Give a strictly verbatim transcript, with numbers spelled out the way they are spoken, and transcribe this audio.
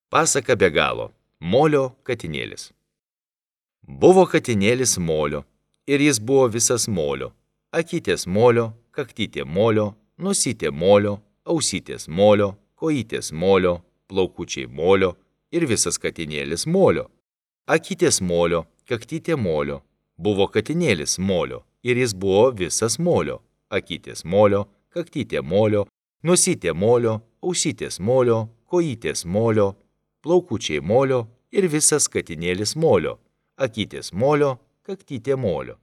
Pasaka be galo. Molio katinėlis. Buvo katinėlis molio, ir jis buvo visas molio. Akytės molio, kaktytė molio, nosytė molio, ausytės molio, kojytės molio, plaukučiai molio ir visas katinėlis molio. Akytės molio, kaktytė molio. Buvo katinėlis molio, ir jis buvo visas molio. Akytės molio, kaktytė molio, nosytė molio, ausytės molio, kojytės molio, plaukučiai molio ir visas katinėlis molio. Akytės molio, kaktytė molio.